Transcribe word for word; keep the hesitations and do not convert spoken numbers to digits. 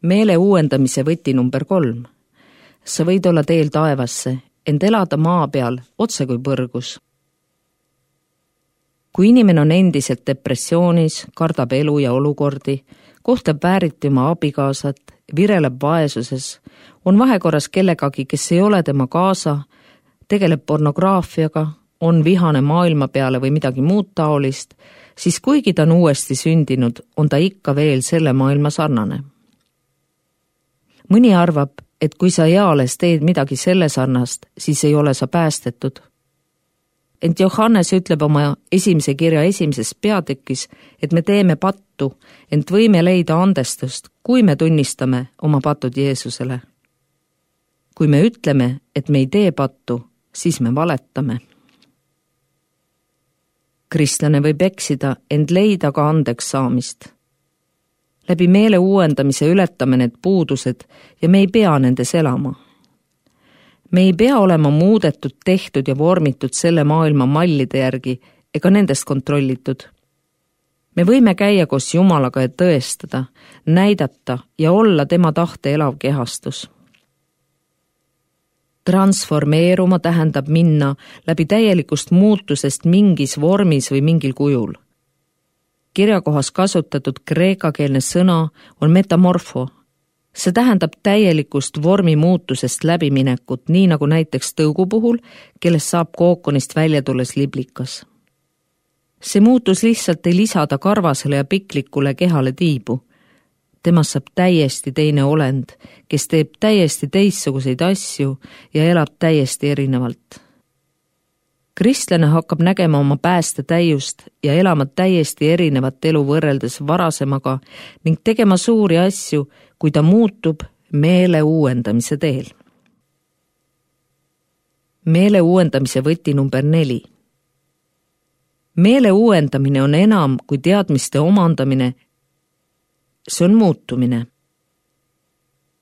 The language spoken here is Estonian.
meele uuendamise võti number kolm. Sa võid olla teel taevasse, ent elada maa peal otse kui põrgus. Kui inimene on endiselt depressioonis, kardab elu ja olukordi, kohtleb vääriti oma abikaasat, vireleb vaesuses, on vahekorras kellegagi, kes ei ole tema kaasa, tegeleb pornograafiaga, on vihane maailma peale või midagi muud taolist, siis kuigi ta on uuesti sündinud, on ta ikka veel selle maailma sarnane. Mõni arvab, et kui sa eales teed midagi selle sarnast, siis ei ole sa päästetud. Ent Johannes ütleb oma esimese kirja esimeses peatükis, et me teeme pattu, ent võime leida andestust, kui me tunnistame oma patud Jeesusele. Kui me ütleme, et me ei tee pattu, siis me valetame. Kristlane võib eksida, ent leida ka andeks saamist. Läbi meele uuendamise ületame need puudused ja me ei pea nendes elama. Me ei pea olema muudetud, tehtud ja vormitud selle maailma mallide järgi ega nendest kontrollitud. Me võime käia koos Jumalaga ja tõestada, näidata ja olla tema tahte elav kehastus. Transformeeruma tähendab minna läbi täielikust muutusest mingis vormis või mingil kujul. Kirjakohas kasutatud kreekakeelne sõna on metamorfo. See tähendab täielikust vormi muutusest läbiminekut, nii nagu näiteks tõugu puhul, kellest saab kookonist välja tulles liblikas. See muutus lihtsalt ei lisada karvasele ja piklikule kehale tiibu. Temast saab täiesti teine olend, kes teeb täiesti teistsuguseid asju ja elab täiesti erinevalt. Kristlane hakkab nägema oma pääste täiust ja elama täiesti erinevat elu võrreldes varasemaga ning tegema suuri asju, kui ta muutub meele uuendamise teel. Meele uuendamise võti number neli. Meele uuendamine on enam kui teadmiste omandamine. See on muutumine.